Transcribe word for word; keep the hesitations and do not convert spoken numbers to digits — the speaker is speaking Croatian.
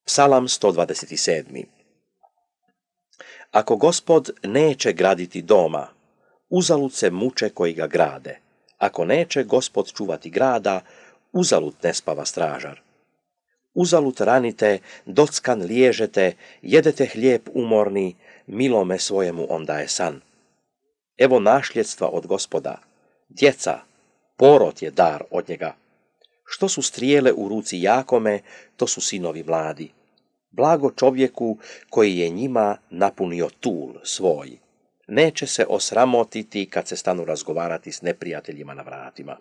Psalam sto dvadeset sedam. Ako Gospod neće graditi doma, uzalud se muče koji ga grade. Ako neće Gospod čuvati grada, uzalud ne spava stražar. Uzalud ranite, dockan liježete, jedete hlijeb umorni, milome svojemu on daje san. Evo našljedstva od Gospoda, djeca, porod je dar od njega. Što su strijele u ruci Jakome, to su sinovi mladi. Blago čovjeku koji je njima napunio tul svoj. Neće se osramotiti kad se stanu razgovarati s neprijateljima na vratima.